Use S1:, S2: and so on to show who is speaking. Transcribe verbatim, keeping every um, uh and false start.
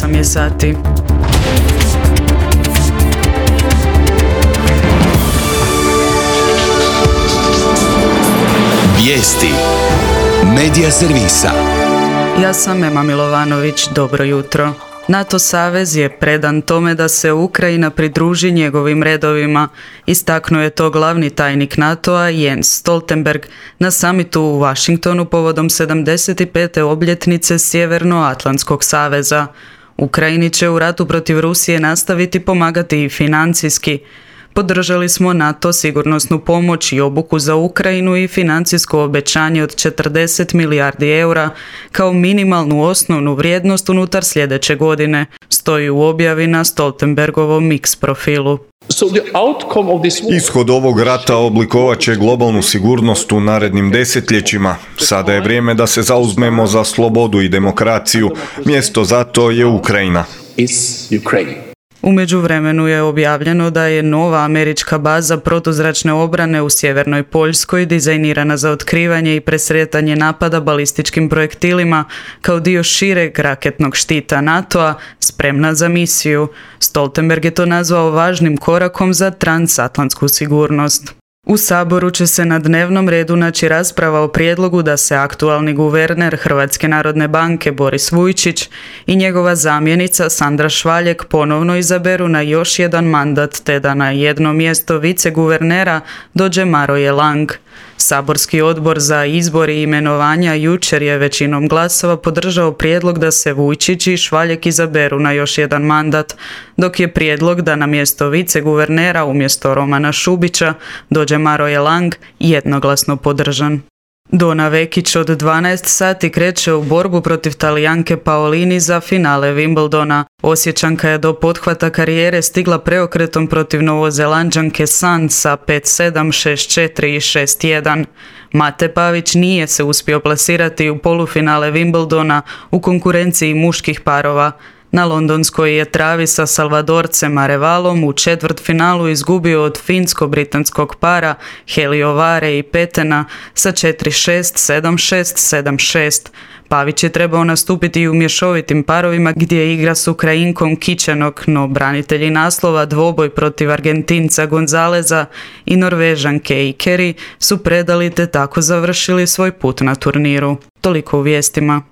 S1: osam je sati.
S2: Vijesti Medija servisa.
S1: Ja sam Ema Milovanović, dobro jutro. NATO savez je predan tome da se Ukrajina pridruži njegovim redovima. Istaknuo je to glavni tajnik NATO-a Jens Stoltenberg na samitu u Washingtonu povodom sedamdeset pete obljetnice Sjevernoatlantskog saveza. Ukrajini će u ratu protiv Rusije nastaviti pomagati i financijski. Podržali smo NATO sigurnosnu pomoć i obuku za Ukrajinu i financijsko obećanje od četrdeset milijardi eura kao minimalnu osnovnu vrijednost unutar sljedeće godine, stoji u objavi na Stoltenbergovom X profilu.
S3: Ishod ovog rata oblikovat će globalnu sigurnost u narednim desetljećima. Sada je vrijeme da se zauzmemo za slobodu i demokraciju. Mjesto za to je Ukrajina.
S1: U međuvremenu je objavljeno da je nova američka baza protuzračne obrane u sjevernoj Poljskoj dizajnirana za otkrivanje i presretanje napada balističkim projektilima kao dio šireg raketnog štita NATO-a, spremna za misiju. Stoltenberg je to nazvao važnim korakom za transatlantsku sigurnost. U Saboru će se na dnevnom redu naći rasprava o prijedlogu da se aktualni guverner Hrvatske narodne banke Boris Vujčić i njegova zamjenica Sandra Švaljek ponovno izaberu na još jedan mandat te da na jedno mjesto viceguvernera dođe Maroje Lang. Saborski odbor za izbor i imenovanja jučer je većinom glasova podržao prijedlog da se Vujčić i Švaljek izaberu na još jedan mandat, dok je prijedlog da na mjesto viceguvernera umjesto Romana Šubića dođe Maroje Lang jednoglasno podržan. Dona Vekić od dvanaest sati kreće u borbu protiv Talijanke Paolini za finale Wimbledona. Osječanka je do pothvata karijere stigla preokretom protiv Novozelanđanke San sa pet sedam, šest četiri i šest jedan. Mate Pavić nije se uspio plasirati u polufinale Wimbledona u konkurenciji muških parova. Na londonskoj je travi sa Salvadorcem Arevalom u četvrtfinalu izgubio od finsko-britanskog para Heliovare i Petena sa četiri šest, sedam šest, sedam šest. Pavić je trebao nastupiti u mješovitim parovima gdje igra s Ukrajinkom Kičenok, no branitelji naslova dvoboj protiv Argentinca Gonzaleza i Norvežanke Ikeri su predali te tako završili svoj put na turniru. Toliko u vijestima.